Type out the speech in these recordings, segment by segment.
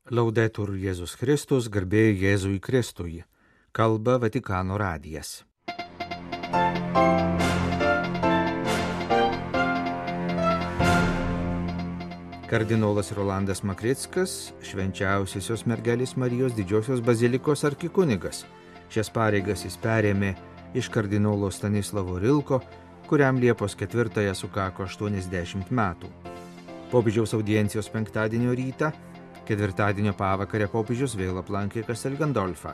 Laudetur Jėzus Kristus, garbė Jėzui Kristui. Kalba Vatikano radijas. Kardinolas Rolandas Makrickas, švenčiausiosios mergelės Marijos didžiosios bazilikos arkikunigas. Šias pareigas jis perėmė iš kardinolo Stanislavo Rilko, kuriam Liepos 4 sukako 80 metų. Popiežiaus audiencijos penktadienio rytą, ketvirtadienio pavakarę popiežius vėl aplankė Castel Gandolfą.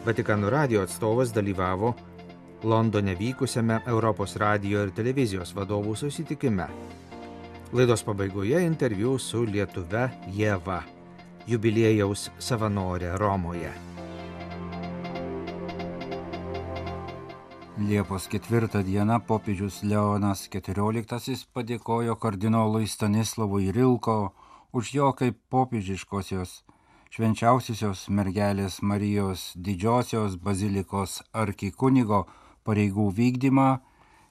Vatikano radijo atstovas dalyvavo Londone vykusiame Europos radijo ir televizijos vadovų susitikime. Laidos pabaigoje interviu su lietuve Ieva, jubiliejaus savanorė Romoje. Liepos 4 dieną popiežius Leonas XIV padėkojo kardinolui Stanislavui Rilko už jo kaip popiežiškosios švenčiausiosios mergelės Marijos didžiosios bazilikos arkikunigo pareigų vykdymą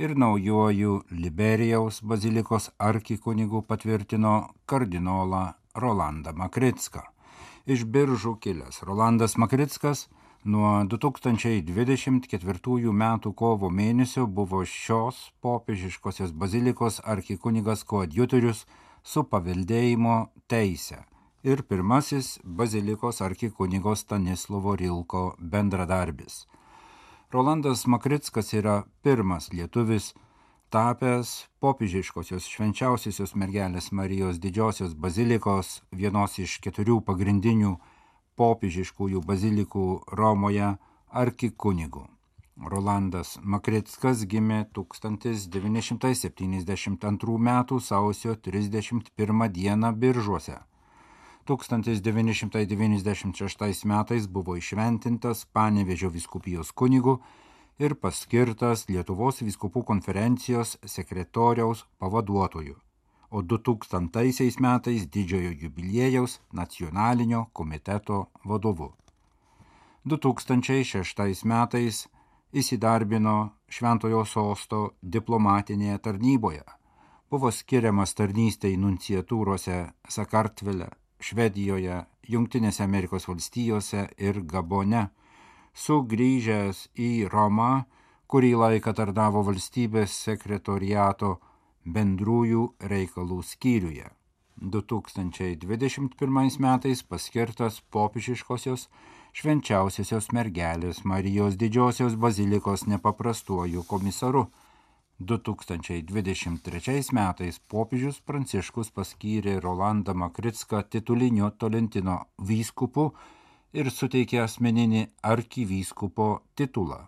ir naujuoju Liberijaus bazilikos arkikunigu patvirtino kardinolą Rolandą Makricką. Iš Biržų kilęs Rolandas Makrickas nuo 2024 metų kovo mėnesio buvo šios popiežiškosios bazilikos arkikunigas koadjutorius su paveldėjimo teise ir pirmasis bazilikos arkikunigo Stanislovo Rilko bendradarbis. Rolandas Makrickas yra pirmas lietuvis tapęs popiežiškosios švenčiausiosios mergelės Marijos didžiosios bazilikos, vienos iš 4 pagrindinių popiežiškųjų bazilikų Romoje arkikunigu. Rolandas Makrickas gimė 1972 m. sausio 31 d. Biržuose. 1996 metais buvo įšventintas Panevėžio vyskupijos kunigu ir paskirtas Lietuvos vyskupų konferencijos sekretoriaus pavaduotoju, o 2000 metais didžiojo jubiliejaus nacionalinio komiteto vadovu. 2006 metais įsidarbino Šventojo Sosto diplomatinėje tarnyboje. Buvo skiriamas tarnystei nunciatūrose Sakartvele, Švedijoje, Jungtinėse Amerikos valstijose ir Gabone. Sugrįžęs į Romą, kurį laiką tarnavo valstybės sekretoriato bendrųjų reikalų skyriuje. 2021 metais paskirtas popiežiškosios švenčiausiosios mergelės Marijos didžiosios bazilikos nepaprastuoju komisaru. 2023 metais popiežius Pranciškus paskyrė Rolandą Makricką tituliniu Tolentino vyskupu ir suteikė asmeninį arkivyskupo titulą.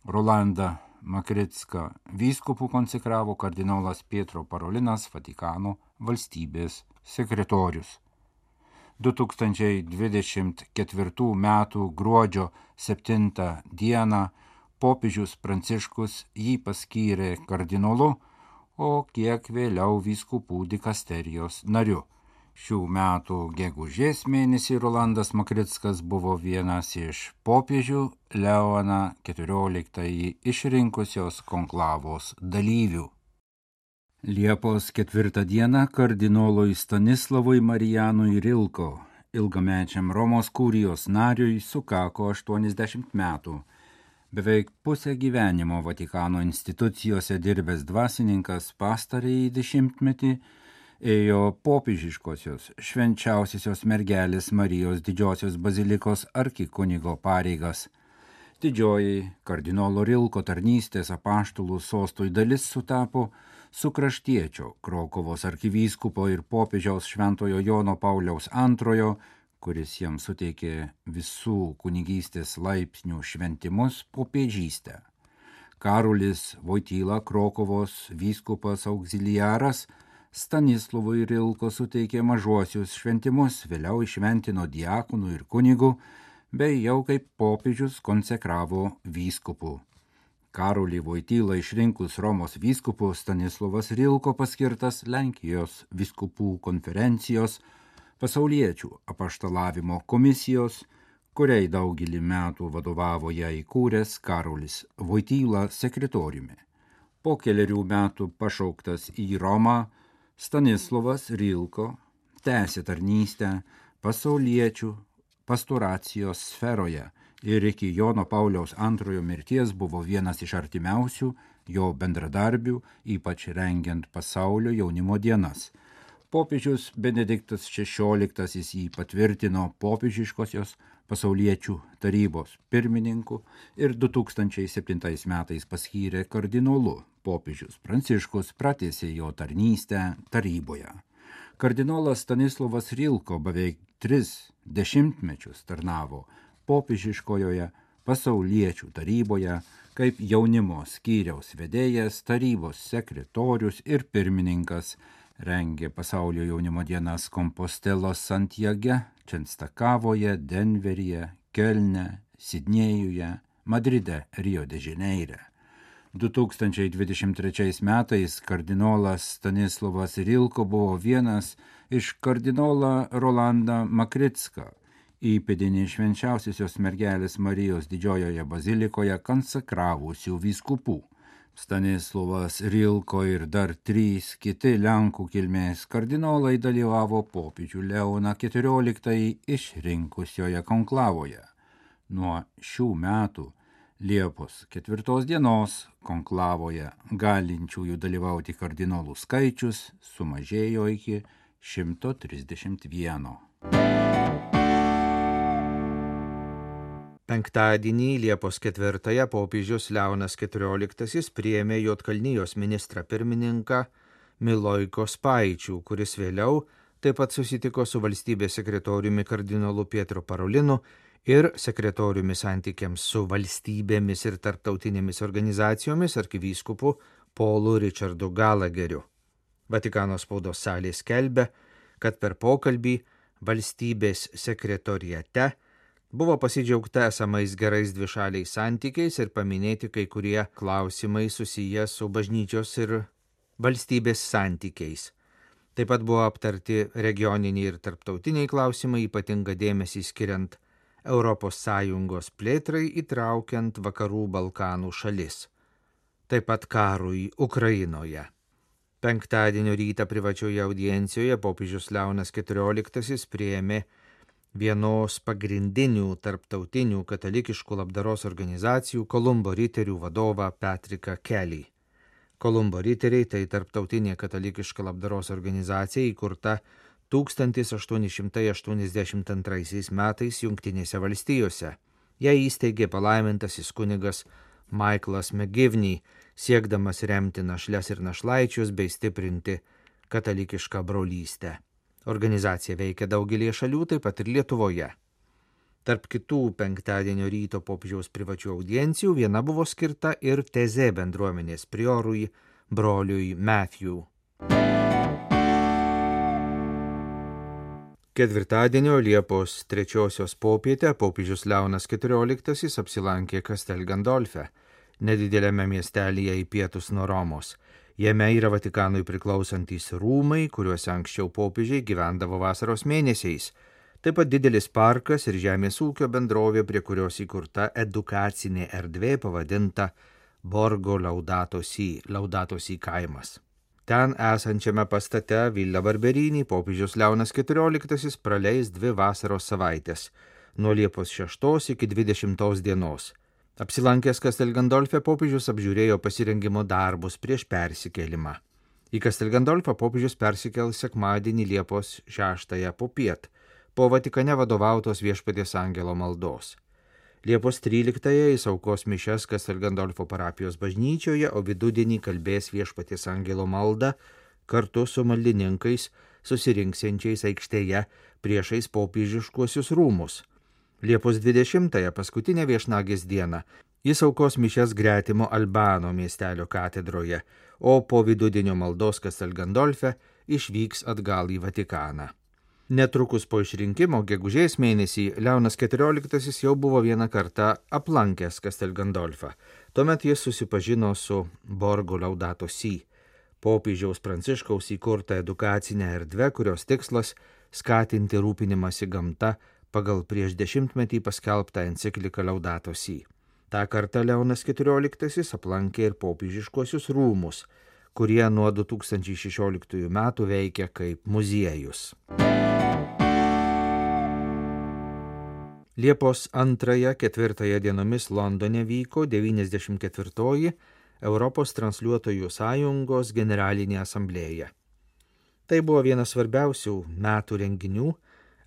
Rolandą Makricką vyskupų konsekravo kardinolas Pietro Parolinas, Vatikano valstybės sekretorius. 2024 m. gruodžio 7 d. popiežius Pranciškus jį paskyrė kardinolu, o kiek vėliau vyskupų dikasterijos nariu. Šių metų gegužės mėnesį Rolandas Makrickas buvo vienas iš popiežių Leoną XIV išrinkusios konklavos dalyvių. Liepos 4 dieną kardinolui Stanislavui Marijanui Rilko, ilgamečiam Romos kurijos nariui, sukako 80 metų. Beveik pusę gyvenimo Vatikano institucijose dirbęs dvasininkas pastarąjį dešimtmetį ėjo popiežiškosios švenčiausiosios mergelės Marijos didžiosios bazilikos arkikunigo pareigas. Didžioji kardinolo Rilko tarnystės apaštalų sostui dalis sutapo su kraštiečio Krokuvos arkivyskupo ir popiežiaus Šventojo Jono Pauliaus II, kuris jam suteikė visų kunigystės laipsnių šventimus, popiežystę. Karolis Vojtyla, Krokuvos vyskupas auxiliaras, Stanislavui Rilko suteikė mažuosius šventimus, vėliau įšventino diakonų ir kunigų, bei jau kaip popiežius konsekravo vyskupų. Karolį Vojtylą išrinkus Romos vyskupu, Stanislavas Rilko paskirtas Lenkijos vyskupų konferencijos pasauliečių apaštalavimo komisijos, kuriai daugelį metų vadovavo ją įkūręs Karolis Vojtyla sekretoriumi. Po kelerių metų pašauktas į Romą, Stanislavas Rilko tęsė tarnystę pasauliečių pastoracijos sferoje ir iki Jono Pauliaus II mirties buvo vienas iš artimiausių jo bendradarbių, ypač rengiant pasaulio jaunimo dienas. Popiežius Benediktas XVI jį patvirtino popiežiškosios pasauliečių tarybos pirmininku ir 2007 metais paskyrė kardinolu. Popiežius Pranciškus pratęsė jo tarnystę taryboje. Kardinolas Stanislovas Rilko beveik 3 dešimtmečius tarnavo popiežiškojoje pasauliečių taryboje kaip jaunimo skyriaus vedėjas, tarybos sekretorius ir pirmininkas, rengė pasaulio jaunimo dienas Kompostelos Santiage, Čenstakavoje, Denveryje, Kelne, Sidnėjuje, Madride, Rio de Žaneire. 2023 metais kardinolas Stanislovas Rilko buvo vienas iš kardinolą Rolandą Makricką, įpėdinį švenčiausiosios mergelės Marijos didžiojoje bazilikoje konsekravusių vyskupų. Stanislovas Rilko ir dar 3 kiti Lenkų kilmės kardinolai dalyvavo popiežių Leoną XIV išrinkusioje konklavoje. Nuo šių metų Liepos 4 dienos konklavoje galinčiųjų dalyvauti kardinolų skaičius sumažėjo iki 131. Penktadienį Liepos 4 popiežius Leonas XIV priėmė Juodkalnijos ministrą pirmininką Milojko Spaičių, kuris vėliau taip pat susitiko su valstybės sekretoriumi kardinolu Pietro Parolinu ir sekretoriumi santykiams su valstybėmis ir tarptautinėmis organizacijomis arkivyskupu Paulu Richardu Gallagheriu. Vatikano spaudos salė skelbia, kad per pokalbį valstybės sekretoriate buvo pasidžiaugta esamais gerais dvišaliais santykiais ir paminėti kai kurie klausimai susiję su bažnyčios ir valstybės santykiais. Taip pat buvo aptarti regioniniai ir tarptautiniai klausimai, ypatingą dėmesį skiriant ES plėtrai įtraukiant Vakarų Balkanų šalis. Taip pat karui Ukrainoje. Penktadienio rytą privačioje audiencijoje popiežius Leonas XIV priėmė vienos pagrindinių tarptautinių katalikiškų labdaros organizacijų Kolumbo riterių vadovą Patriką Kelly. Kolumbo riteriai tai tarptautinė katalikiška labdaros organizacija įkurta 1882 metais Jungtinėse valstijose. Ją įsteigė palaimintasis kunigas Michaelas McGivney, siekdamas remti našles ir našlaičius bei stiprinti katalikišką brolystę. Organizacija veikia daugelį šalių, taip pat ir Lietuvoje. Tarp kitų penktadienio ryto popiežiaus privačių audiencijų viena buvo skirta ir Teze bendruomenės priorui broliui Matthew. Ketvirtadienio Liepos 3 popietę popiežius Leonas XIV apsilankė Castel Gandolfe, nedidelėme miestelyje į pietus nuo Romos. Jame yra Vatikanui priklausantys rūmai, kuriuose anksčiau popiežiai gyvendavo vasaros mėnesiais. Taip pat didelis parkas ir žemės ūkio bendrovė, prie kurios įkurta edukacinė erdvė pavadinta Borgo Laudato Si kaimas. Ten esančiame pastate Villa Barberini popiežius Leonas XIV praleis 2 vasaros savaitės, nuo Liepos 6 iki 20 dienos. Apsilankęs Castel Gandolfe popiežius apžiūrėjo pasirengimo darbus prieš persikėlimą. Į Castel Gandolfą popiežius persikėl sekmadienį Liepos 6 popiet, po Vatikane vadovautos Viešpaties angelo maldos. Liepos 13 jis aukos mišias Castel Gandolfo parapijos bažnyčioje, o vidudienį kalbės Viešpaties angelo maldą kartu su maldininkais susirinksiančiais aikštėje priešais popiežiškuosius rūmus. Liepos 20 paskutinę viešnagės dieną jis aukos mišias gretimo Albano miestelio katedroje, o po vidudienio maldos Castel Gandolfe išvyks atgal į Vatikaną. Netrukus po išrinkimo gegužės mėnesį Leonas XIV jau buvo vieną kartą aplankęs Castel Gandolfą. Tuomet jis susipažino su Borgo Laudato Si, popiežiaus Pranciškaus įkurta edukacinė erdvė, kurios tikslas skatinti rūpinimąsi gamta pagal prieš 10-metį paskelbtą encikliką Laudato Si. Ta kartą Leonas XIV aplankė ir popiežiškuosius rūmus, kurie nuo 2016 metų veikia kaip muziejus. Liepos 2-4 dienomis Londone vyko 94-oji Europos transliuotojų sąjungos generalinė asamblėja. Tai buvo vienas svarbiausių metų renginių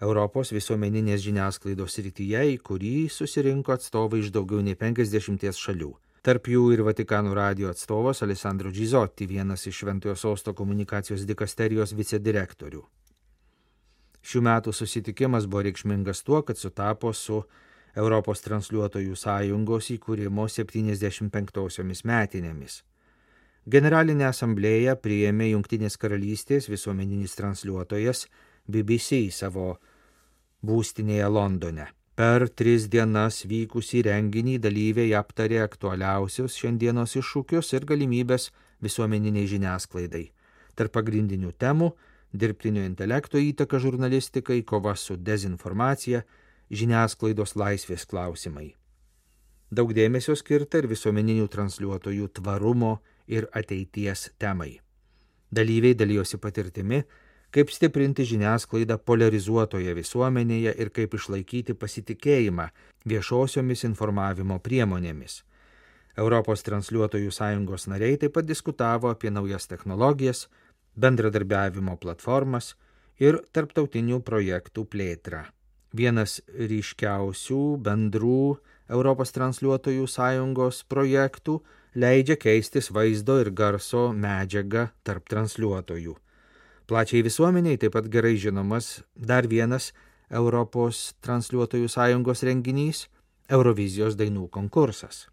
Europos visuomeninės žiniasklaidos srityje, į kurį susirinko atstovai iš daugiau nei 50 šalių. Tarp jų ir Vatikano radijo atstovas Alessandro Gizotti, vienas iš Šventojo Sosto komunikacijos dikasterijos vicedirektorių. Šių metų susitikimas buvo reikšmingas tuo, kad sutapo su Europos transliuotojų sąjungos įkūrimo 75-osiomis metinėmis. Generalinę asamblėją priėmė Jungtinės karalystės visuomeninis transliuotojas BBC savo būstinėje Londone. Per 3 dienas vykusį renginį dalyviai aptarė aktualiausius šiandienos iššūkius ir galimybės visuomeniniai žiniasklaidai. Tarp pagrindinių temų – dirbtinio intelekto įtaka žurnalistikai, kova su dezinformacija, žiniasklaidos laisvės klausimai. Daug dėmesio skirta ir visuomeninių transliuotojų tvarumo ir ateities temai. Dalyviai dalijosi patirtimi, kaip stiprinti žiniasklaidą polarizuotoje visuomenėje ir kaip išlaikyti pasitikėjimą viešosiomis informavimo priemonėmis. Europos transliuotojų sąjungos nariai taip pat diskutavo apie naujas technologijas, bendradarbiavimo platformas ir tarptautinių projektų plėtrą. Vienas ryškiausių bendrų Europos transliuotojų sąjungos projektų leidžia keistis vaizdo ir garso medžiagą tarp transliuotojų. Plačiai visuomeniai taip pat gerai žinomas dar vienas Europos transliuotojų sąjungos renginys – Eurovizijos dainų konkursas.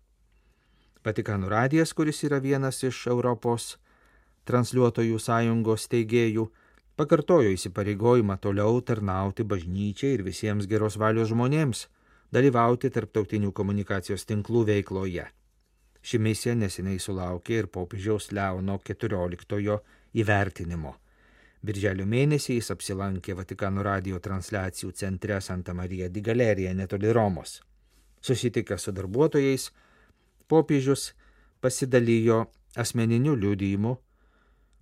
Vatikano radijas, kuris yra vienas iš Europos transliuotojų sąjungos steigėjų, pakartojo įsipareigojimą toliau tarnauti bažnyčiai ir visiems geros valios žmonėms, dalyvauti tarptautinių komunikacijos tinklų veikloje. Ši misija neseniai sulaukė ir popiežiaus Leono XIV įvertinimo. Birželio mėnesį jis apsilankė Vatikano radijo transliacijų centre Santa Maria di Galerija netoli Romos. Susitikęs su darbuotojais, popiežius pasidalijo asmeniniu liudijimu,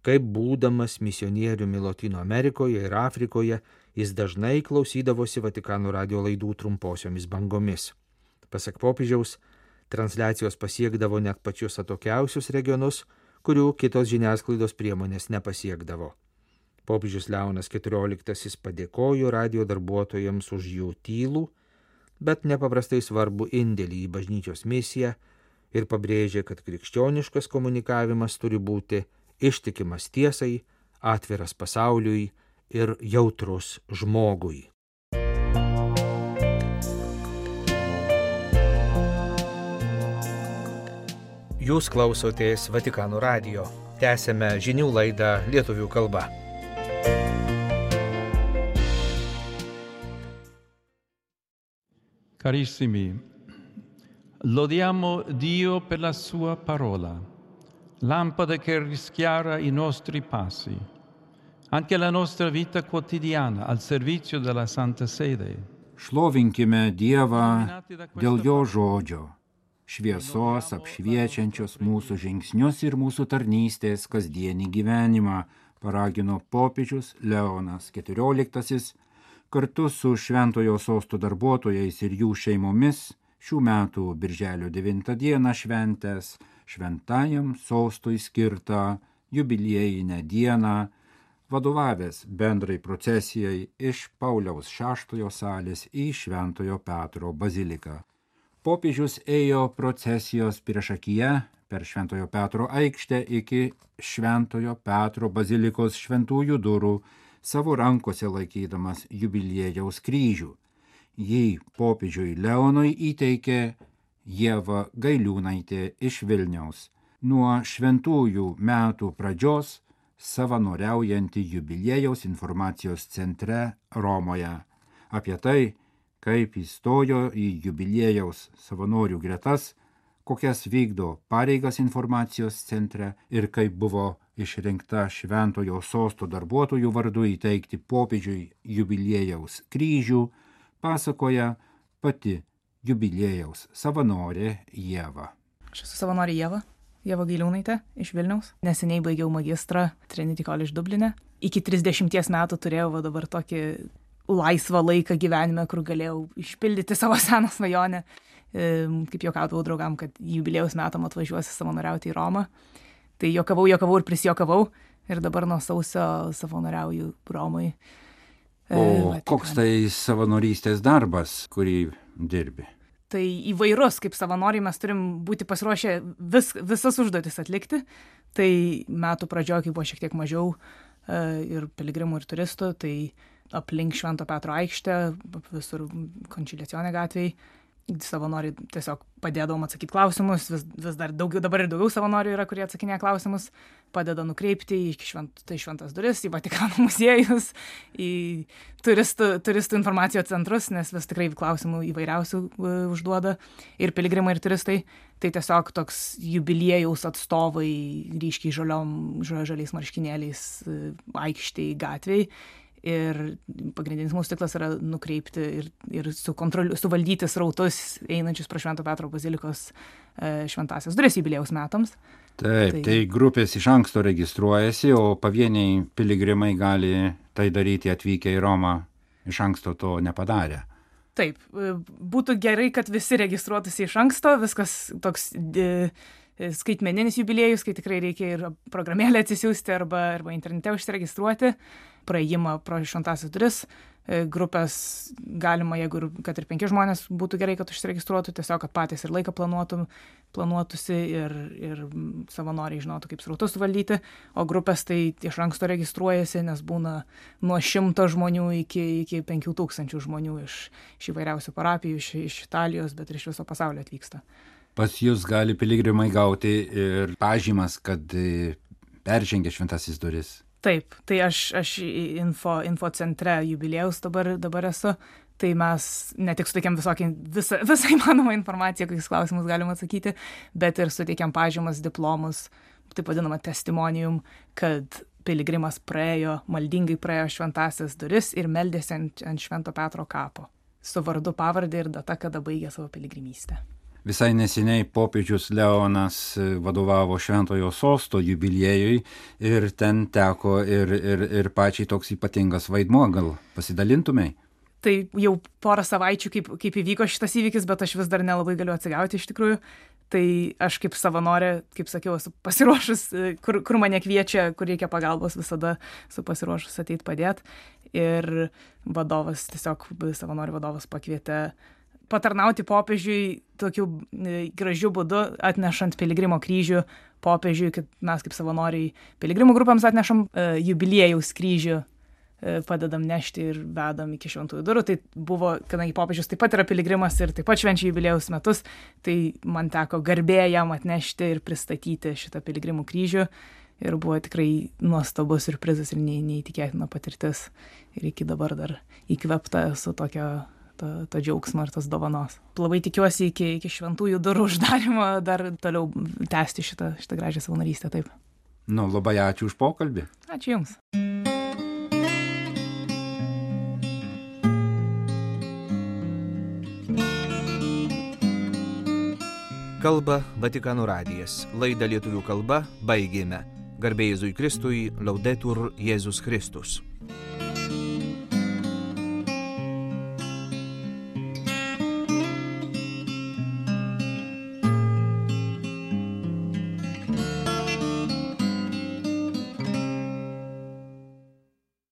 kaip būdamas misionieriumi Lotynų Amerikoje ir Afrikoje, jis dažnai klausydavosi Vatikano radijo laidų trumposiomis bangomis. Pasak popiežiaus, transliacijos pasiekdavo net pačius atokiausius regionus, kurių kitos žiniasklaidos priemonės nepasiekdavo. Popiežius Leonas XIV padėkojo radijo darbuotojams už jų tylų, bet nepaprastai svarbu indėlį į bažnyčios misiją ir pabrėžė, kad krikščioniškas komunikavimas turi būti ištikimas tiesai, atviras pasauliui ir jautrus žmogui. Jūs klausotės Vatikano radijo. Tęsiame žinių laidą lietuvių kalba. Carissimi, lodiamo Dio per la sua parola. Lampada che rischiara i nostri passi, anche la nostra vita quotidiana al servizio della Santa Sede. Šlovinkime Dievą dėl jo žodžio, šviesos apšviečiančios mūsų žingsnius ir mūsų tarnystės kasdienį gyvenimą, paragino popiežius Leonas XIV kartu su Šventojo Sosto darbuotojais ir jų šeimomis šių metų birželio 9 dieną šventęs Šventajam Sostui skirtą jubiliejinę dieną, vadovavęs bendrai procesijai iš Pauliaus VI salės į Šventojo Petro baziliką. Popiežius ėjo procesijos priešakyje per Šventojo Petro aikštę iki Šventojo Petro bazilikos šventųjų durų, savo rankose laikydamas jubiliejaus kryžių. Jį popiežiui Leonui įteikė Ieva Gailiūnaitė iš Vilniaus, nuo šventųjų metų pradžios savanoriaujanti jubiliejaus informacijos centre Romoje. Apie tai, kaip įstojo į jubiliejaus savanorių gretas, kokias vykdo pareigas informacijos centre ir kaip buvo išrinkta Šventojo Sosto darbuotojų vardu įteikti popiežiui jubiliejaus kryžių, pasakoja pati jubiliejaus savanorė Ieva. Aš esu savanorė Ieva Gailiūnaitė iš Vilniaus. Neseniai baigiau magistrą Trinity College Dubline. Iki 30 metų turėjau dabar tokį laisvą laiką gyvenime, kur galėjau išpildyti savo seną svajonę. Kaip juokaudavau draugam, kad jubiliejaus metam atvažiuosiu savanoriauti į Romą. Tai juokavau ir prisijokavau ir dabar nuo sausio savanoriauju Romai. O koks tai savanorystės darbas, kurį dirbi? Tai įvairus, kaip savanoriai mes turim būti pasiruošę visas užduotis atlikti. Tai metų pradžioje, kai buvo šiek tiek mažiau ir piligrimų ir turistų, tai aplink Švento Petro aikštę, visur Končiliacione gatvėje, savanoriai tiesiog padėdavom atsakyti klausimus, vis dar dabar ir daugiau savanorių yra, kurie atsakinėja klausimus, padeda nukreipti į šventas duris, į Vatikano muziejus, į turistų informacijos centrus, nes vis tikrai klausimų įvairiausių užduoda ir piligrimai, ir turistai. Tai tiesiog toks jubiliejaus atstovai ryškiai žaliais marškinėliais aikštėj gatvėj. Ir pagrindinis mūsų tikslas yra nukreipti ir suvaldyti srautus einančius pro Švento Petro bazilikos šventąsias duris jubiliejaus metams. Taip, tai grupės iš anksto registruojasi, o pavieniai piligrimai gali tai daryti atvykę į Romą iš anksto to nepadarę. Taip, būtų gerai, kad visi registruotųsi iš anksto, viskas toks skaitmeninis jubiliejus, kai tikrai reikia ir programėlę atsisiųsti arba internete užsiregistruoti, praėjimą pro šventąsias duris. Grupės galima, jeigu kad ir 5 žmonės, būtų gerai, kad užsiregistruotų, tiesiog, kad patys ir laiką planuotųsi ir savanoriai žinotų, kaip srautus suvaldyti, o grupės tai iš anksto registruojasi, nes būna nuo 100 žmonių iki 5000 žmonių iš įvairiausių parapijų, iš Italijos, bet ir iš viso pasaulio atvyksta. Pas jūs gali piligrimai gauti ir pažymas, kad peržengė šventasis duris. Taip, tai aš info centre jubiliejaus dabar esu, tai mes ne tik suteikiam visą įmanomą informaciją, kokius klausimus galima atsakyti, bet ir suteikiam pažymas, diplomus, taip vadinamą testimonium, kad piligrimas maldingai praėjo šventąsias duris ir meldėsi ant Švento Petro kapo, su vardu, pavardė ir data, kada baigė savo piligrimystę. Visai neseniai popiežius Leonas vadovavo Šventojo sosto jubiliejui ir ten teko ir pačiai toks ypatingas vaidmuo, gal pasidalintumei? Tai jau porą savaičių, kaip įvyko šitas įvykis, bet aš vis dar nelabai galiu atsigauti iš tikrųjų. Tai aš kaip savanorė, kaip sakiau, esu pasiruošus, kur mane kviečia, kur reikia pagalbos, visada esu pasiruošus ateit padėti. Ir savanorių vadovas pakvietė patarnauti popiežiui tokiu gražiu būdu, atnešant piligrimo kryžių popiežiui, kad mes kaip savanoriai piligrimų grupėms atnešam jubiliejaus kryžių, padedam nešti ir vedam iki šventųjų durų. Tai buvo, kadangi popiežius taip pat yra piligrimas ir taip pat švenčia jubiliejaus metus, tai man teko garbė jam atnešti ir pristatyti šitą piligrimų kryžių. Ir buvo tikrai nuostabus siurprizas ir neįtikėtina patirtis. Ir iki dabar dar įkvėpta esu to džiaugsmo ir tos dovanos. Labai tikiuosi iki šventųjų durų uždarimo dar toliau tęsti šitą gražią savanorystę, taip. Labai ačiū už pokalbį. Ačiū Jums. Kalba Vatikano radijas. Laidą lietuvių kalba baigėme. Garbė Jėzui Kristui, Laudetur Jėzus Kristus.